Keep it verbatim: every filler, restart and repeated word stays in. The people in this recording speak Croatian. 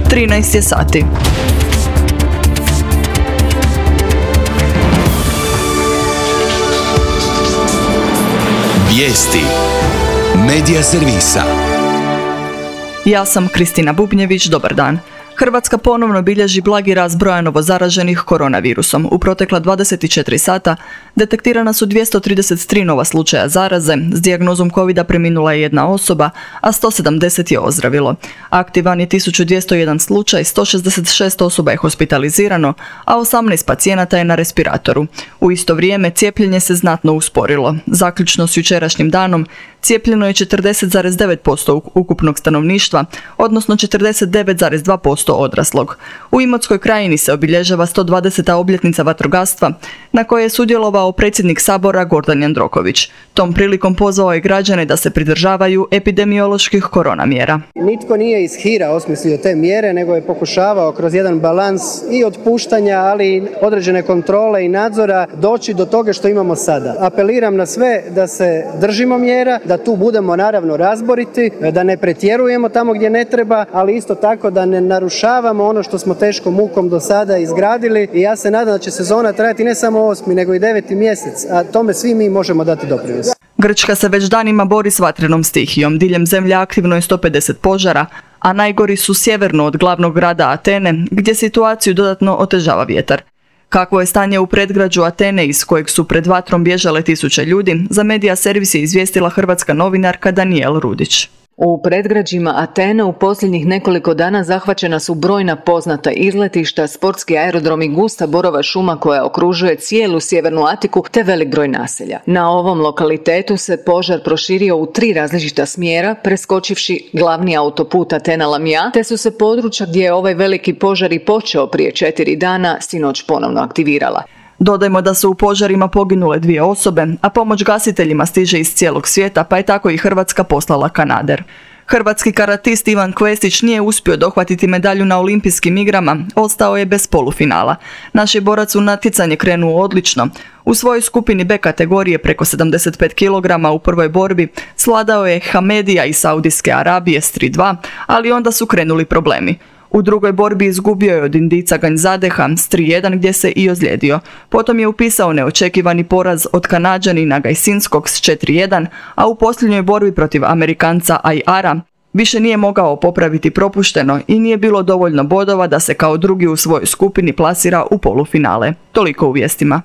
trinaest je sati. Vijesti Medija servisa. Ja sam Kristina Bubnjević, dobar dan. Hrvatska ponovno bilježi blagi rast broja novozaraženih koronavirusom. U protekla dvadeset četiri sata detektirana su dvjesto trideset tri nova slučaja zaraze, s dijagnozom covida preminula je jedna osoba, a sto sedamdeset je ozdravilo. Aktivan je tisuću dvjesto jedan slučaj, sto šezdeset šest osoba je hospitalizirano, a osamnaest pacijenata je na respiratoru. U isto vrijeme cijepljenje se znatno usporilo. Zaključno s jučerašnjim danom cijepljeno je četrdeset zarez devet posto ukupnog stanovništva, odnosno četrdeset devet zarez dva posto odraslog. U Imotskoj krajini se obilježava sto dvadeseta obljetnica vatrogastva, na kojoj je sudjelovao predsjednik Sabora Gordan Jandroković. Tom prilikom pozvao je građane da se pridržavaju epidemioloških korona mjera. Nitko nije iz hira osmislio te mjere, nego je pokušavao kroz jedan balans i otpuštanja, ali i određene kontrole i nadzora doći do toga što imamo sada. Apeliram na sve da se držimo mjera, da tu budemo naravno razboriti, da ne pretjerujemo tamo gdje ne treba, ali isto tako da ne narušavamo ono što smo teškom mukom do sada izgradili, i ja se nadam da će sezona trajati ne samo osmi nego i deveti mjesec, a tome svi mi možemo dati doprinos. Grčka se već danima bori s vatrenom stihijom. Diljem zemlje aktivno je sto pedeset požara, a najgori su sjeverno od glavnog grada Atene, gdje situaciju dodatno otežava vjetar. Kakvo je stanje u predgrađu Atene, iz kojeg su pred vatrom bježale tisuće ljudi, za Medija servis je izvijestila hrvatska novinarka Danijela Rudić. U predgrađima Atene u posljednjih nekoliko dana zahvaćena su brojna poznata izletišta, sportski aerodrom i gusta borova šuma koja okružuje cijelu sjevernu Atiku te velik broj naselja. Na ovom lokalitetu se požar proširio u tri različita smjera, preskočivši glavni autoput Atena-Lamija, te su se područja gdje je ovaj veliki požar i počeo prije četiri dana sinoć ponovno aktivirala. Dodajmo da su u požarima poginule dvije osobe, a pomoć gasiteljima stiže iz cijelog svijeta, pa je tako i Hrvatska poslala kanader. Hrvatski karatist Ivan Kvestić nije uspio dohvatiti medalju na olimpijskim igrama, ostao je bez polufinala. Naš je borac u natjecanje krenuo odlično. U svojoj skupini B kategorije preko sedamdeset pet kilograma u prvoj borbi svladao je Hamedija iz Saudijske Arabije s tri dva, ali onda su krenuli problemi. U drugoj borbi izgubio je od Indijca Ganjadeha s tri jedan gdje se i ozlijedio. Potom je upisao neočekivani poraz od Kanađanina Gajsinskog s četiri jedan, a u posljednjoj borbi protiv Amerikanca Ayara više nije mogao popraviti propušteno i nije bilo dovoljno bodova da se kao drugi u svojoj skupini plasira u polufinale. Toliko u vijestima.